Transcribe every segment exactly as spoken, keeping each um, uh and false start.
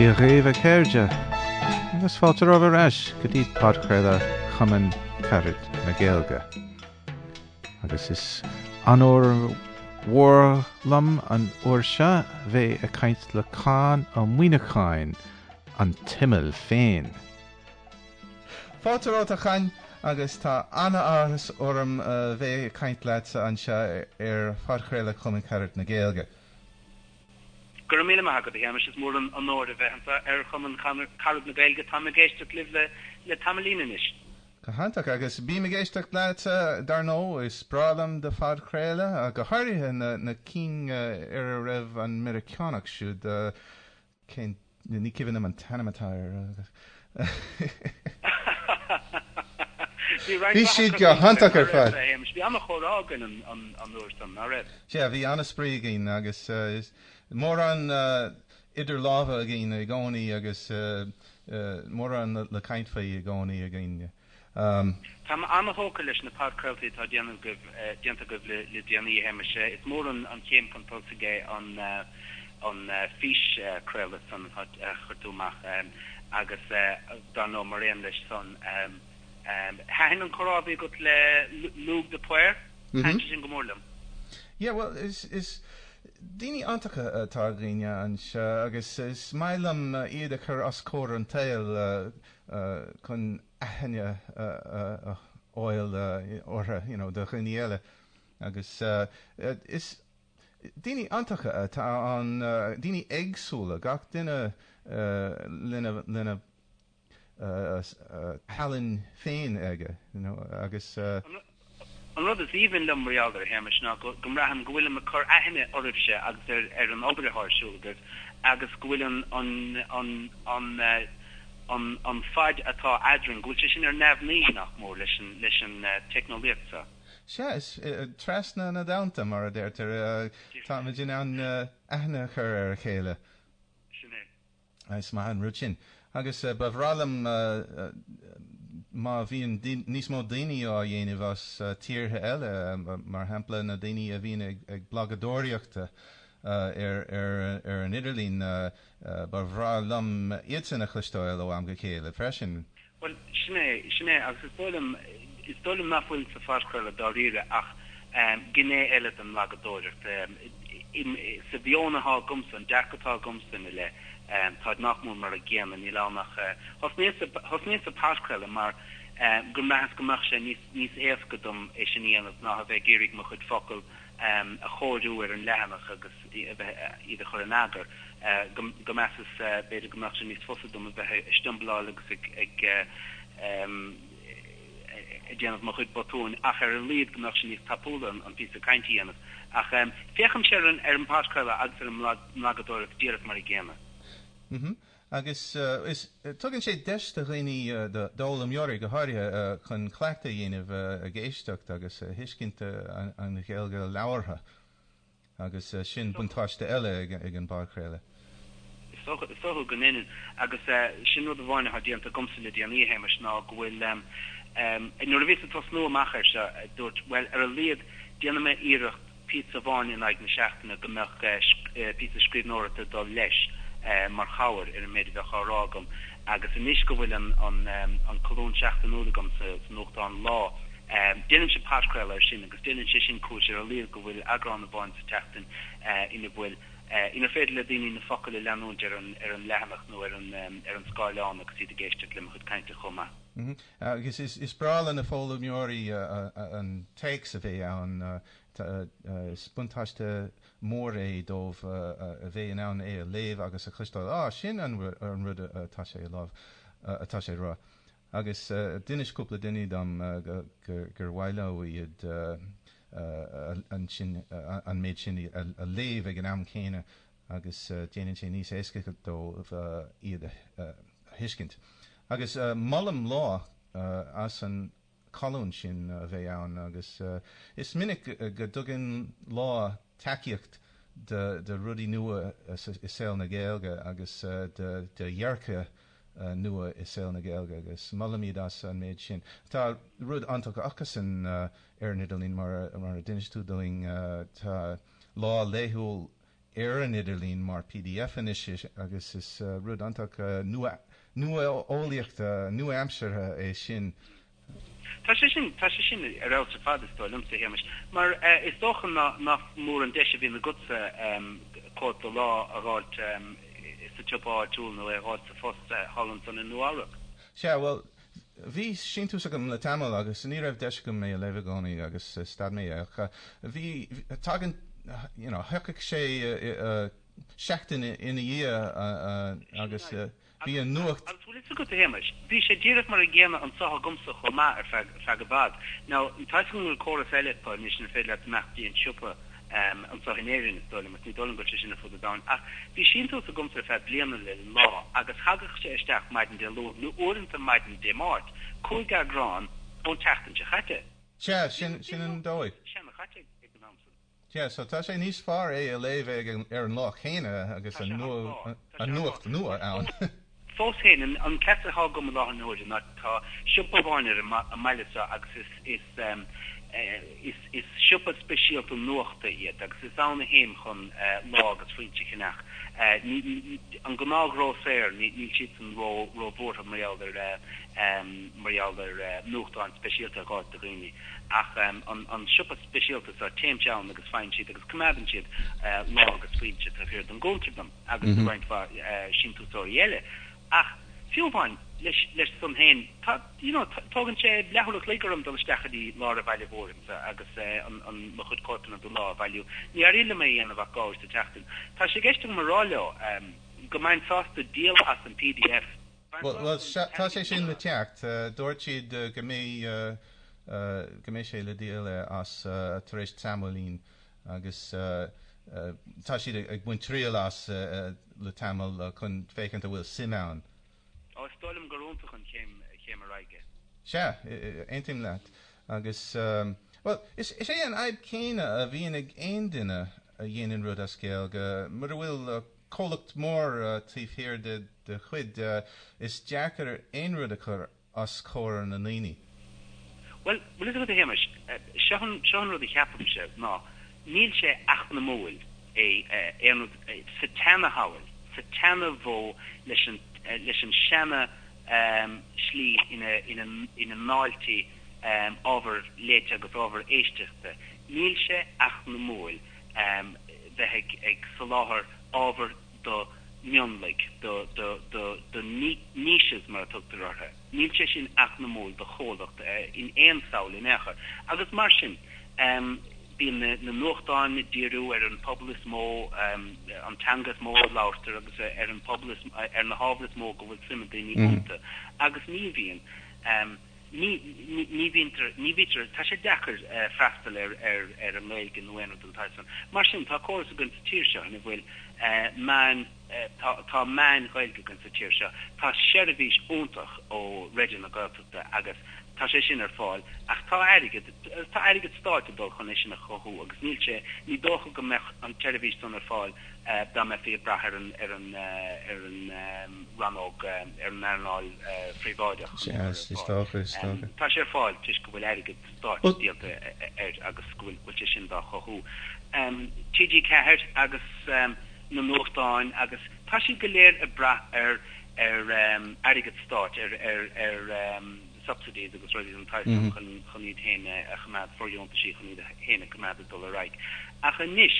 Dia dhaoibh a chairde, agus fáilte romhaibh ar ais go dtí podchraoladh Chumann Carad na Gaeilge. Agus is onóir mhór liom an uair seo bheith ag caint le Conn Ó Muíneacháin, an tImeall féin. Fáilte romhat a Choinn agus tá an-áthas orm a bheith ag caint leatsa anseo ar phodchraoladh Chumann Carad na Gaeilge. Go raibh míle maith agat, a Shéamais, is mór an onóir a bheith anseo ar Chumann Carad na Gaeilge. Táim ag éisteacht libh le le tamaillín anois. Go hiontach, agus bím ag éisteacht leatsa, dar ndóigh, is breá liom do phodchraoladh, go háirithe na na cinn ar a raibh an Meiriceánach siúd, cén, ní cuimhin liom an t-ainm atá air. Bhí Bhí siad go hiontach ar fad. Bhí an-chomhrá againn an uair san, ná raibh? Sea, bhí an-spraoi againn agus mórán idir lámha againn i gcónaí agus mórán le caint faoi i gcónaí againn. Táim an-thógtha leis na podchraoltaí atá déanta agaibh le déanaí, a Shéamais. Is mór an chéim chun tosaigh é an an físchraoladh san a chuir tú amach agus dar ndóigh mar aon leis san thaitin an comhrá a bhí agat le Lugh de Paor, thaitin sé sin go mór liom. Yeah, bhuel is is daoine iontacha atá againne anseo agus is maith liom iad a chur os comhair an tsaoil chun aithne a fháil orthu you know do dhaoine eile agus is Daoine iontacha atá ann, daoine éagsúla, gach duine lena lena thallann féin aige, you know, agus. An rud is aoibhinn liom mar gheall air, a Shéamais, ná go mbraithim go bhfuilim ag cur aithne oraibhse agus ar ar an obair atá ar siúl agaibh agus go bhfuil an an an an an an fad atá eadrainn, go bhfuil sé sin ar neamhní, nach mór, leis an leis an teicneolaíocht seo. Sea, is trasna na dtonnta, mar a deirtear, táimid in ann aithne a chur ar a chéile. Sin é. Is maith an rud sin. Agus ba bhreá liom má bhíonn níos mó daoine á dhéanamh as tíortha eile, mar shampla na daoine a bhíonn ag blagadóireacht ar ar an idirlíon, ba bhreá liom iadsan a chloisteáil ó am go chéile freisin. Bhuel, sin é, sin é, agus is dóigh liom, is dóigh liom nach bhfuil sa phodchraoladh dáiríre ach gné eile den mblagadóireacht. Sa mheon atá agamsa, an dearcadh atá agamsa ina leith, táid nach mór mar a gcéanna, níl ann ach, thosnaíos, thosnaíos sa phodchraoladh mar gur mheasas go mbeadh sé níos, níos éasca dom é sin a dhéanamh ná a bheith ag iarraidh mo chuid focal a chóiriú ar an leathanach agus a bheith, iad a chur in eagar. go measas b'fhéidir go mbeadh sé níos fusa dom a bheith ag stiombaláil agus ag ag déanamh mo chuid botúin ach ar a laghad go mbeadh sé níos tapúla an píosa cainte a dhéanamh. Ach féachaimse ar an ar an bpodchraoladh agus ar an mblagadóireacht díreach mar a gcéanna. Mhm. Agus is tugann sé deis do dhaoine, d'fhoghlaimeoirí go háirithe, chun cleachtadh a dhéanamh ag éisteacht agus a thuiscint an Ghaeilge labhartha. Agus sin buntáiste eile ag an bpodchraoladh. Is dócha, is dócha go ndeineann. Agus sin rud amháin atá déanta agamsa le déanaí, a Shéamais, ná go bhfuil, nuair a bhíos ag tosnú amach air seo, dúirt, bhuel, ar a laghad, déanfaidh mé iarracht píosa amháin in aghaidh na seachtaine go mbeadh píosa scríbhneoireachta ag dul leis mar chabhair ar an méid a bheadh á rá agam. Agus anois go bhfuil an, an, an colún seachtainiúil agam sa, sa nuachtán Lá, Déanaimse podchraoladh air sin agus déanann sé sin cúis ar a laghad go bhfuil eagrán amháin sa tseachtain ina bhfuil, inar féidir le daoine na focail a leanúint ar an ar an leathanach nó ar an ar an scáileán agus iad ag éisteacht le mo chuid cainte chomh maith. Agus is breá le na foghlaimeoirí an téacs a bheith ann. Is buntáiste mór é dóibh a bheith in ann é a léamh agus a chloisteáil, 'Á, sin an rud atá sé atá sé a rá. Agus d'inis cúpla duine dom gur mhaith leo iad ansin an méid sin a léamh ag an am céanna agus déanann sé níos éasca dóibh iad a thuiscint. Agus molaim Lá as an colún sin a bheith ann agus is minic go dtugann Lá tacaíocht do rudaí nua i saol na Gaeilge agus do dhearcadh nua i saol na Gaeilge agus molaim iad as an méid sin. Tá rud iontach acusan ar an idirlíon mar a d'inis tú dúinn, tá Lá Laethúil ar an idirlíon mar P D F anois agus is rud iontach nua nua-eolaíochta nua-aimseartha é sin. Tá sé sin tá sé sin ar fheabhas ar fad, is dóigh liomsa, a Shéamais, mar is dócha nach mór an deis a bhíonn agatsa cóip de Lá a fháilt sa tsiopa áitiúil nó é a fháilt sa phost thall ansan i Nua-Eabhrac. Sea, bhuel, bhí síntiús agam le tamall agus ní raibh deis agam é a léamh i gcónaí agus stad mé ach bhí tagann you know, thiocfadh sé seachtain ina dhiaidh agus bhí an nuacht. Agus bhfuil fhios agat, a Shéamais, bhí sé díreach mar an gcéanna anso agamsa chomh maith ar feadh feadh i bhfad. Now, tá go bhfuil córas eile acu anois inar féidir leat imeacht dtí an siopa um, anso in Éirinn, is dóigh liom, ní dóigh liom go bhfuil sé sin ar fud an domhain. Ach bhí síntiús agamsa ar feadh bliana le Lá agus thagadh sé isteach maidin Dé Luain nó uaireanta maidin Dé Máirt, cúig eagrán ón tseachtain seo chaite. Sea, sin sin an dóigh. Seana chaite ag an am san. Yeah, so tá sé níos fearr é a léamh ag ar an lá chéanna agus an nua an nuacht nua ann. Fós féin, an an ceist atá agam i láthair na huaire ná tá siopa amháin ar an mbaile seo agus is is um, is is siopa speisialta nuachta iad agus is ann a théim chun Lá agus Foinse a cheannach. An gnáthghrósaer, níl siad san ró róbhuartha mar gheall ar mar gheall ar nuachtáin speisialta a fháil do dhaoine. Ach um, an, an siopa speisialta seo, téimse ann agus faigheann siad agus coimeádann siad uh, Lá agus Foinse taobh thiar den gcuntar dom agus mm -hmm. roinnt uh, síntiúsóirí eile. Ach fiú amháin leis leis san féin, tá you know, tógann sé leathuair an chloig orm dul isteach i lár an bhaile mhóir agus uh, an, an mo chuid cóipeanna de Lá a bhailiú. Ní éiríonn liom é a dhéanamh ach dhá uair sa tseachtain. Tá sé i gceist agam a rá leo um, go mbeinn sásta díol as an P D F. Well, tá sé sin le teacht, uh, dúirt siad uh, go mbeidh uh, uh, go mbeidh sé le díol as uh, tar éis tamaillín agus uh, uh, tá siad ag baint triail as uh, le tamall uh, chun féachaint an bhfuil suim ann. Ó, is dóigh liom gur iontach an chéim chéim ar aghaidh. Sea, aontaím leat agus um, well, is, is é an fhadhb céanna a bhíonn ag aon duine a dhéanann rud as Gaeilge mura bhfuil uh, comhlacht mór uh, taobh thiar de de chuid uh, is deacair aon rud a chur os comhair na ndaoine. Well, bhfuil fhios agat, a Shéamais, seo seo an rud a cheapaimse ná níl sé eacnamúil é aon rud sa tseanashamhail, sa tseanamhodh leis an leis an seana um, slí ina ina ina ndáiltí um, ábhar léite agus ábhar éisteachta. Níl sé eacnamúil um, bheith ag, ag soláthar ábhar do mhionlaigh, do do do do niches mar a tugtar orthu. Níl sé sin eacnamúil do chomhlacht uh, in aon samhail in aon chor. Agus mar sin um, bíonn na, na nuachtáin ag díriú ar an pobal is mó, um, an teanga is mó a labhartar agus ar an pobal is, ar na hábhair is mó go bhfuil suim ag daoine iontu. Mm. Agus ní bhíonn um, ní ní bhíonn ní bhítear tá sé deacair uh, freastal ar ar ar an nGaeilge nó aon rud den tsaghas san. Mar sin tá córas againn sa tír seo ina bhfuil uh, meáin uh, tá tá meáin Ghaeilge againn sa tír seo. Tá seirbhís iontach ó Raidió na Gaeltachta agus tá sé sin ar fáil, ach tá airgead tá airgead stáit ag dul chun é sin a chothú agus níl sé ní dócha go mbeadh an tseirbhís san ar fáil uh, dá mbeifí ag brath ar an ar an uh, ar an um, rannóg um, ar an earnáil uh, phríobháideach. Um, tá sé ar fáil toisc go bhfuil airgead stáit díolta air agus go bhfuil sé sin dá chothú. Um, T G Ceathair agus um, na nuachtáin agus tá siad go léir ag brath ar ar um, airgead stáit ar ar ar um, subsidies agus rudaí den tsaghas mm -hmm. chun chun iad féin a choimeád, fóirdheontaisí chun iad féin a choimeád dul ar aghaidh. Ach anois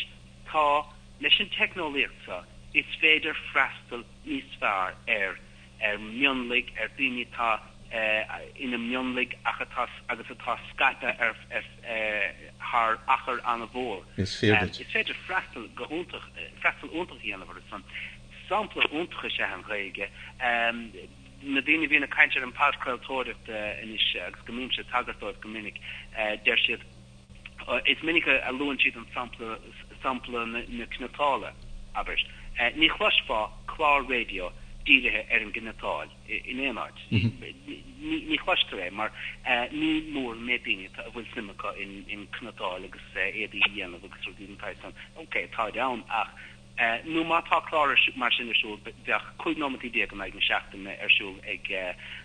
tá leis an teicneolaíocht seo is féidir freastal níos fearr ar ar mionlaigh, ar daoine atá uh, ina mionlaigh ach atá agus atá scaipthe ar ar uh, thar achar an-mhór. Is féidir. Um, is féidir freastal go hiontach freastal iontach a dhéanamh ar san. Sampla iontach is ea an Ghaeilge. Um, na daoine a bhíonn ag caint ar an podchraoltóireacht anois agus go mbímse ag tagairt dóibh go minic, deir siad is minic a luann siad an sampla sampla na, na cniotála, abair. Ní chloisfeá clár raidió dírithe ar an gcniotáil in aon áit. Ní chloistear é mar ní mór méid daoine a bhfuil suim acu in in cniotáil agus éadaí a dhéanamh agus rudaí den tsaghas san. Ok, tá ann ach nó má tá clár mar sin ar siúl bheadh cúig nóiméad déag in aghaidh na seachtaine ar siúl ag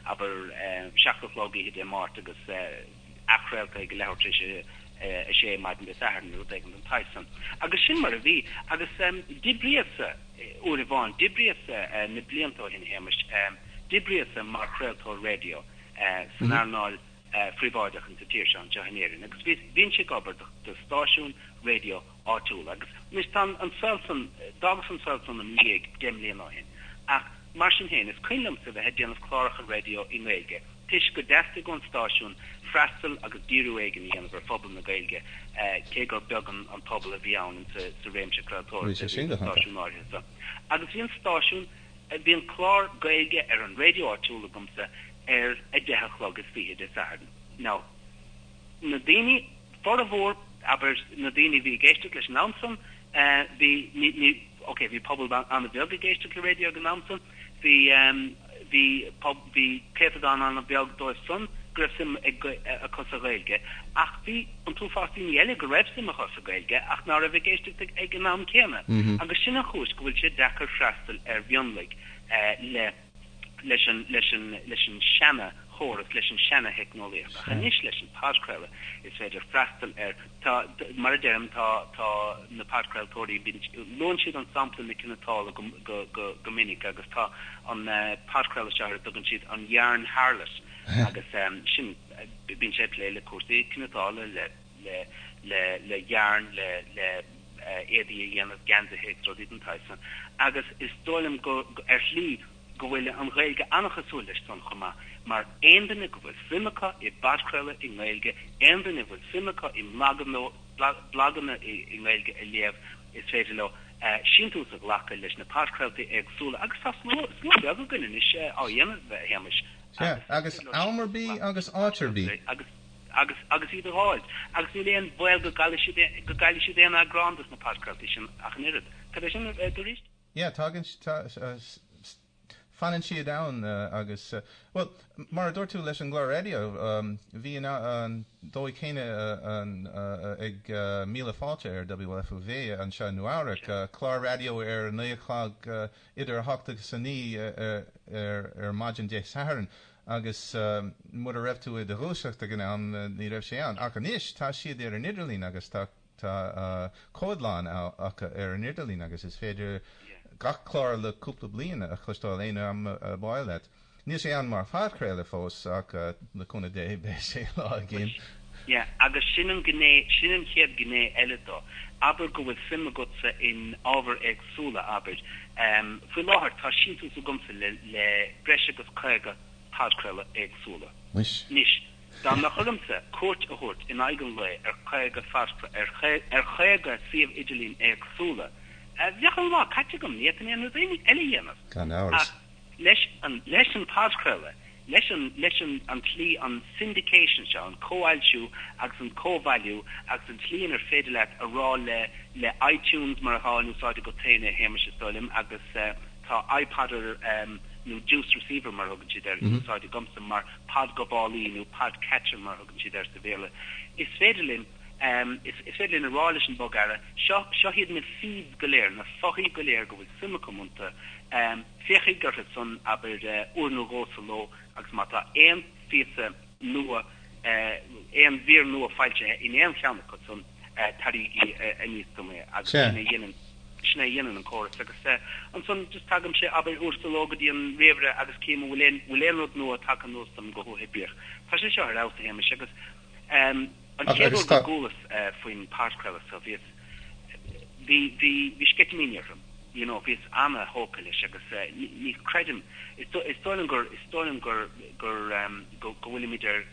abair seacht a chlog oíche Dé Máirt agus athchraolta ag leathuair tar éis a sé maidin Dé Sathairn nó rud éigin den tsaghas san. Agus sin mar a bhí. Agus d'oibríos-sa uair amháin, d'oibríos-sa na blianta ó shin, a Shéamais, d'oibríos-sa mar chraoltóir raidió san earnáil phríobháideach insa tír seo, anseo in Éirinn, agus bhínnse ag obair do stáisiún raidió áitiúil. Agus anois tá an saol san, d'fhágas an saol san im dhiaidh deich mbliana ó shin, ach mar sin féin, is cuimhin liomsa bheith ag déanamh cláracha raidió i nGaeilge, toisc go dteastaigh ón stáisiún freastal agus díriú éigin a dhéanamh ar phobal na Gaeilge, cé gur beag an pobal a bhí ann sa réimse craoltóireachta a bhí sa stáisiún áirithe seo. Agus bhí an stáisiún, bhí an clár Gaeilge ar an raidió áitiúil agamsa ar a deich a chlog is fiche Dé Sathairn. Now, na daoine, formhór, abair, na daoine a bhí ag éisteacht leis an am san, bhí, ní, ní, ok, bhí pobal an-bheag ag éisteacht le raidió ag an am san, bhí, bhí, bhí céatadán an-bheag dóibh san go raibh suim acu sa Ghaeilge, ach bhí an t-uafás daoine eile go raibh suim acu sa Ghaeilge ach ná raibh ag éisteacht ag an am céanna. Agus sin an chúis go bhfuil sé deacair freastal ar mhionlaigh le leis an leis an leis an seana chóras, leis an seana theicneolaíocht. Ach anois leis an podchraoladh is féidir freastal ar tá mar a deirim tá tá na podchraoltóirí bíonn luann siad an sampla na cniotála go go go go minic agus tá an podchraoladh seo ar a dtugann siad an Yarn Harlot agus sin bíonn sé ag plé le cúrsaí cniotála le le le le yarn le le éadaí a dhéanamh geansaithe agus rudaí den tsaghas san agus is dóigh liom go ar shlí go bhfuil an Ghaeilge an-chosúil leis san chomh maith, mar aon duine go bhfuil suim acu i bpodchraoladh i nGaeilge, aon duine a bhfuil suim acu i mblaganna i nGaeilge a léamh, is féidir leo síntiús a ghlacadh leis na podchraoltaí éagsúla agus tá slua beag againn anois á dhéanamh, a Shéamais. Sea, agus am ar bith agus áit ar bith. Agus agus agus iad a fháil. Agus níl aon bhaol go gcaillfidh siad go gcaillfidh siad aon eagrán dos na podchraoltaí sin ach an oiread. Cad é sin arís? Yeah, tagann fanann siad ann agus, bhuel, mar a dúirt tú leis an gclár raidió, bhí an dóigh chéanna ag Míle Fáilte ar W F U V anseo i Nua-Eabhrac, clár raidió ar a naoi a chlog, idir a hocht agus a naoi ar maidin Dé Sathairn agus mura raibh tú i do dhúiseacht ag an am ní raibh sé ann. Ach anois tá siad ar an idirlíon agus tá tá comhadlann acu ar an idirlíon agus is féidir gach clár le cúpla bliain a chloisteáil aon am ab áil leat. Níl sé ann mar phodchraoladh fós ach le cúnamh Dé beidh sé lá éigin. Yeah, agus sin an gné, sin an chéad ghné eile dó. Abair go bhfuil suim agatsa in ábhair éagsúla, abair. Faoi láthair tá síntiús agamsa le le breis agus caoga podchraoladh éagsúla. Muis. Anois, dá mbeadh ormsa cuairt a thabhairt in aghaidh an lae ar chaoga ar chaoga suíomh idirlín éagsúla, bheadh an lá caite agam, ní fhéadfainn aon rud eile a dhéanamh. Gan amhras. Ach leis an leis an podchraoladh, leis an leis an an tslí an syndication seo, an comhfhoilsiú agus an comhbhailiú agus an tslí inar féidir leat a rá le le iTunes mar atá in úsáid agat féin a Shéamais is dóigh liom agus tá iPodder nó Juice Receiver mar a thugann siad air in úsáid agamsa mar podghabhálaí nó podcatcher mar a thugann siad air sa Bhéarla. Is féidir linn is is féidir linn a rá leis an bogearra, seo seo iad na feeds go léir, na fothaí go léir go bhfuil suim agam iontu, féachaigí orthu san, abair, uair nó dhó sa ló agus má tá aon phíosa nua, aon mhír nua foilsithe in aon cheann acu san, tabhraígí aníos dom é agus sin é a dhéanann sin é a dhéanann an córas agus ansan just tagaimse, abair, uair sa ló go dtí an ríomhaire agus cím an bhfuil aon bhfuil aon rud nua tagtha anuas dom go huathoibríoch. Tá sé seo ar fheabhas, a Shéamais, agus an Ach chéad agus uair go tá. gcualas faoin podchraoladh so bhíos bhí bhí bhí sceitimíní orm, you know, bhíos ana-thógtha leis agus ní ní chreidim is is dóigh liom gur is dóigh liom gur gur go go bhfuilimid ar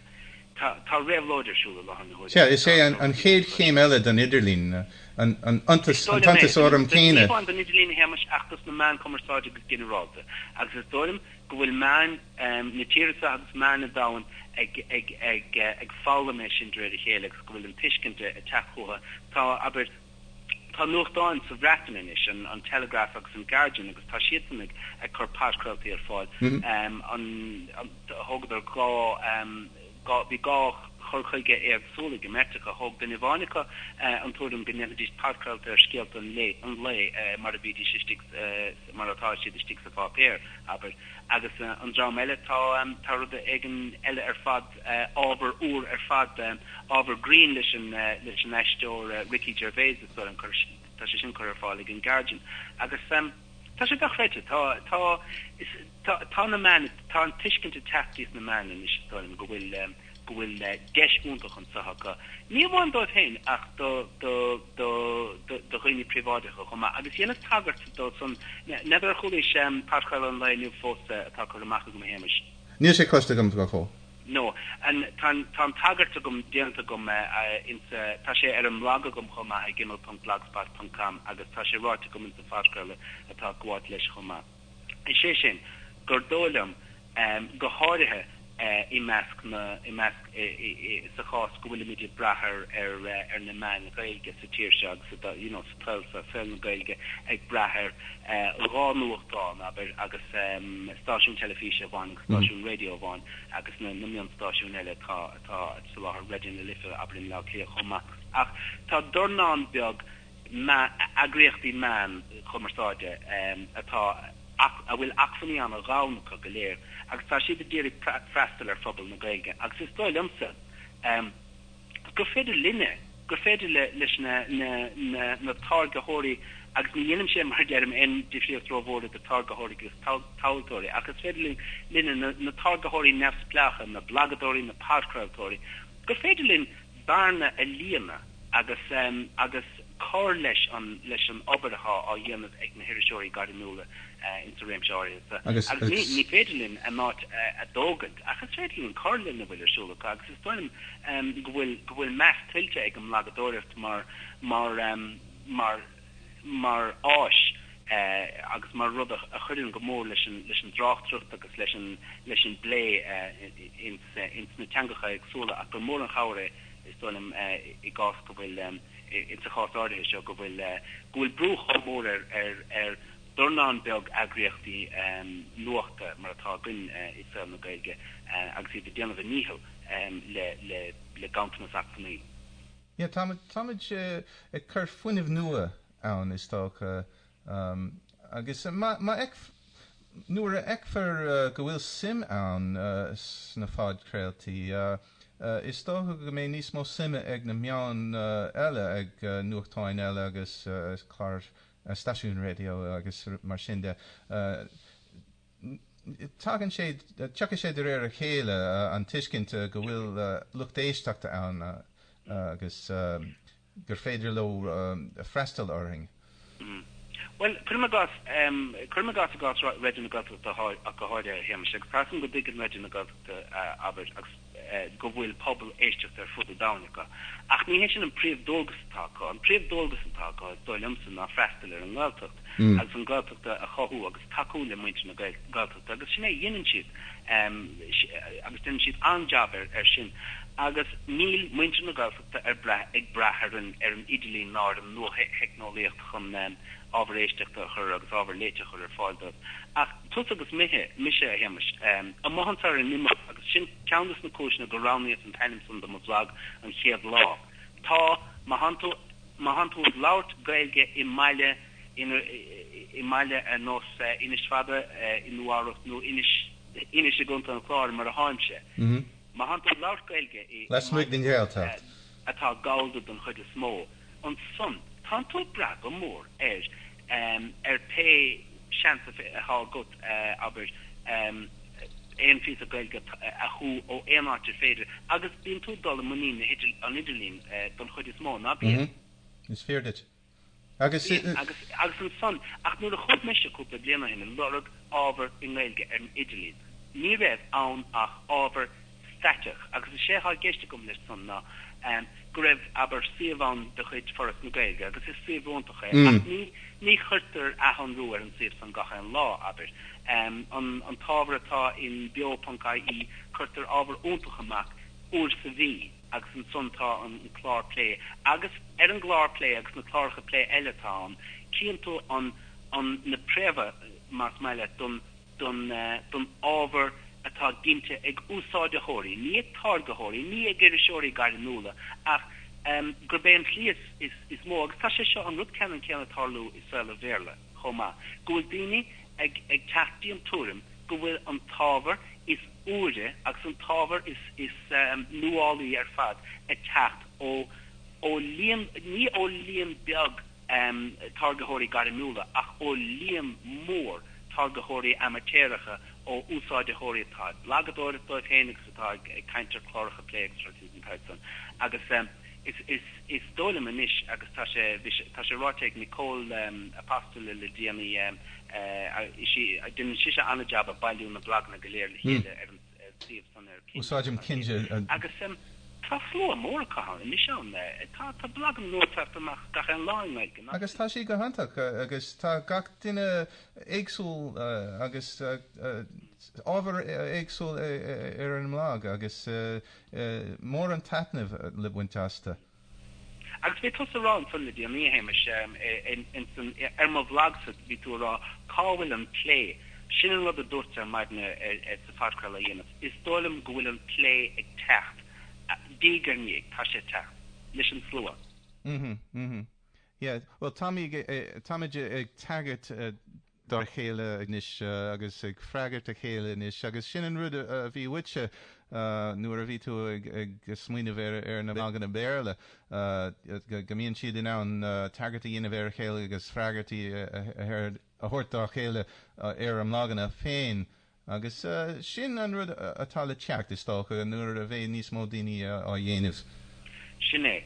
tá tá réabhlóid ar siúl i láthair na huaire. Sea, is é an an chéad chéim eile den idirlíon, an an Is iontas dóigh an liom é. t-iontas orm Ní céanna. hamháin don idirlíon a Shéamais ach dos na meáin cumarsáide go ginearálta agus is dóigh liom go bhfuil meáin na tíre seo agus meáin an domhain ag ag ag ag foghlaim é sin de réir a chéile agus go bhfuil an tuiscint ag teacht chucu. Tá, abair, tá nuachtáin sa Bhreatain anois, an an Telegraph agus an Guardian agus tá siadsan ag ag cur podchraoltaí ar fáil. An thógadar dhá dhá bhí dhá cur chuige éagsúil ag an mbeirt acu. Thóg duine amháin acu an tuairim go ndéanfaidís podchraolta ar scéalta an lae, an lae mar a bhídís istigh, mar atá siad istigh sa pháipéar, abair. Agus an dream eile, tá, tá rud éigin eile ar fad, ábhar úr ar fad, ábhar grinn leis an, leis an aisteoir Ricky Gervais, is dóigh liom, tá sé sin curtha ar fáil ag an Guardian. Agus tá sé dochreidte, tá, tá, is, tá, tá na meáin, tá an tuiscint ag teacht sna meáin anois, is dóigh liom, go bhfuil, go bhfuil deis iontach anseo acu, ní amháin dóibh féin ach do, do, do, do, do dhaoine príobháideacha chomh maith. Agus dheineas tagairt dó san, n'fheadar ar chualaís podchraoladh an lae inniu fós atá curtha amach agam, a Shéamais? Níl sé cloiste agam go fóill. No. An, tá an, tá an tagairt agam déanta agam insa, tá sé ar an mblag agam chomh maith ag imeall ponc blogspot ponc com agus tá sé ráite agam insa phodchraoladh atá ag gabháilt leis chomh maith. Is é sin, gur dóigh liom, go háirithe i measc na, i measc, sa chás go bhfuilimid ag brath ar, ar, ar na meáin Ghaeilge sa tír seo agus sa, you know, sa tsaol seo, saol na Gaeilge, ag brath ar dhá nuachtán, abair, agus stáisiún teilifíse amháin agus stáisiún raidió amháin agus na mionnstáisiúin eile atá atá ag soláthar Raidió na Life, abair, i mBleá Cliath chomh maith. Ach tá dornán beag eagraíochtaí meán cumarsáide atá a bhfuil acmhainní an-ghann acu go léir agus tá siad ag iarraidh freastal ar phobal na Gaeilge agus is dóigh liomsa gur féidir linne, gur féidir leis na na táirgeoirí, agus ní dhéanaimse, mar a deirim, aon difríocht rómhór idir táirgeoirí agus tomhaltóirí, ach is féidir linne, na na táirgeoirí neamhspleácha, na blagadóirí, na podchraoltóirí, gur féidir linn bearna a líonadh agus agus cur leis an leis an obair atá á dhéanamh ag na hiriseoirí gairmiúla insa réimse áirithe seo. Agus ní ní féidir linn a n-áit a thógaint, ach is féidir linn cur lena bhfuil ar siúl acu agus is dóigh liom go bhfuil go bhfuil meas tuillte ag an mblagadóireacht mar mar mar mar áis agus mar rud a chuireann go mór leis an leis an dtráchtaireacht agus leis an leis an bplé ins ins na teangacha éagsúla ach gur mór an chabhair é is dóigh liom i gcás go bhfuil insa chás áirithe seo go bhfuil go bhfuil brú chomh mór ar ar ar dornán beag eagraíochtaí nuachta mar atá againn i saol na Gaeilge agus iad ag déanamh a ndícheall le le le ganntanas acmhainní. Yeah, táimid táimid ag cur fuinneamh nua ann is dócha agus má má nuair a fheicfear go bhfuil suim ann sna podchraoltaí is dócha go mbeidh níos mó suime ag na meáin eile, ag nuachtáin eile agus cláir stáisiúin raidió agus mar sin de. Tagann sé, tiocfaidh sé de réir a chéile, an tuiscint go bhfuil lucht éisteachta ann agus gur féidir leo freastal orainn. Bhuel, cuirim i gcás, cuirim i gcás i gcás Raidió na Gaeltachta ach go háirithe, a Shéamais, agus tá a fhios agam go dtuigeann Raidió na Gaeltachta, abair, agus go bhfuil pobal éisteachta ar fud an domhain acu. Ach ní hé sin an príomhdualgas atá acu. An príomhdualgas atá acu, is dóigh liomsa, ná freastal ar an nGaeltacht agus an Ghaeltacht a chothú agus tacú le muintir na Gaeltachta agus sin é a dhéanann siad agus déanann siad an-jab air sin. Agus níl muintir na Gaeltachta ar brath ag brath ar an ar an idirlíon ná ar an nuatheicneolaíocht chun ábhar éisteachta a chur agus ábhar léite a chur ar fáil dóibh. Ach tusa agus mise, mise, a Shéamais, amuigh anso ar an imeall, agus sin ceann de na cúiseanna gur roghnaíos an t-ainm san do mo bhlag an chéad lá. Tá, má thánn tú, má thánn tú ag labhairt Gaeilge i mbaile, i mbaile ar nós Inis Fada i Nua Eabhrac nó Inis, Inis i gContae an Chláir mar a tháimse, má thánn tú ag labhairt Gaeilge i Lasmuigh den Ghaeltacht. atá gallda don chuid is mó, ansan tánn tú ag brath go mór ar ar pé seans atá agat, abair, aon phíosa Gaeilge a shú ó aon áit ar féidir, agus bíonn tú ag dul i muinín an idirlín don chuid is mó, ná bíonn? Is fíor duit. Agus. Bíonn, agus agus ansan, ach nuair a chuaigh mise cúpla bliain ó shin ag lorg ábhar i nGaeilge ar an idirlíon, ní raibh ann ach ábhar staiteach, agus is é atá i gceist agam leis san ná go raibh, abair, suíomh ann de chuid Foras na Gaeilge, agus is suíomh iontach é, ach ní ní chuirtear athshonrú ar an suíomh san gach aon lá, abair. An an t-ábhar atá in beo ponc ie, cuirtear ábhar iontach amach uair sa mhí, agus ansan tá an clár plé, agus ar an gclár plé agus na cláracha plé eile atá ann, cíonn tú an an na préamha, más maith leat, don don don ábhar atá ginte ag úsáideoirí, ní ag táirgeoirí, ní ag iriseoirí gairmiúla, ach um, gurb é an tslí is, is, is mó agus tá sé seo an rud ceannann céanna ag tarlú i saol an Bhéarla chomh maith, go bhfuil daoine ag, ag teacht go dtí an tuairim go bhfuil an t-ábhar is úire agus an t-ábhar is, is um, nuálaí ar fad ag teacht ó ó líon ní ó líon beag um, táirgeoirí gairmiúla ach ó líon mór táirgeoirí amaitéaracha ó úsáideoirí atá ag blagadóireacht dóibh féin agus atá ag caint ar chláracha plé agus rudaí den tsaghas san. Agus um, is, is, is dóigh liom anois agus tá sé tá sé ráite ag Nicole um, Apostol le déanaí um, uh, déanann sise an-jab ag bailiú na blaganna go léir le chéile ar an suíomh san ar Úsáidim Kinja agus um, tá slua mór acu anois ann tá tá blaganna nua ag teacht amach gach aon lá i nGaeilge. Agus tá sé go hiontach agus tá gach duine éagsúil agus ábhar éagsúil ar an mblag agus mór an taitneamh le baint astu. Agus bhí tusa ag rá ansan le déanaí a Shéamais ar mo bhlagsa bhí tú ag rá cá bhfuil an plé. Sin an rud a dúirt ar maidin sa phodchraoladh a dhéanamh. Is dóigh liom go bhfuil an plé ag teacht diaidh ar ndiaidh tá sé ag teacht leis an slua. Mhm, mhm. Yeah, well táimid táimid ag tagairt dá chéile anois agus ag freagairt a chéile anois agus sin an rud a bhí uaitse nuair a bhí tú ag ag smaoineamh ar ar na blaganna Béarla go mbíonn siad in ann tagairt a dhéanamh ar a chéile agus freagairtí a thabhairt dá chéile ar a mblaganna féin. Agus sin an rud atá le teacht is dócha nuair a bheidh níos mó daoine á dhéanamh. Sin é.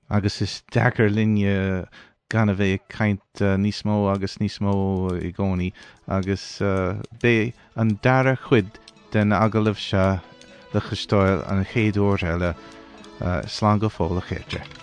Agus is deacair linne gan a bheith ag caint níos mó agus níos mó i gcónaí agus beidh an dara cuid den agallamh seo le cloisteáil an chéad uair eile. Slán go fóill a chairde.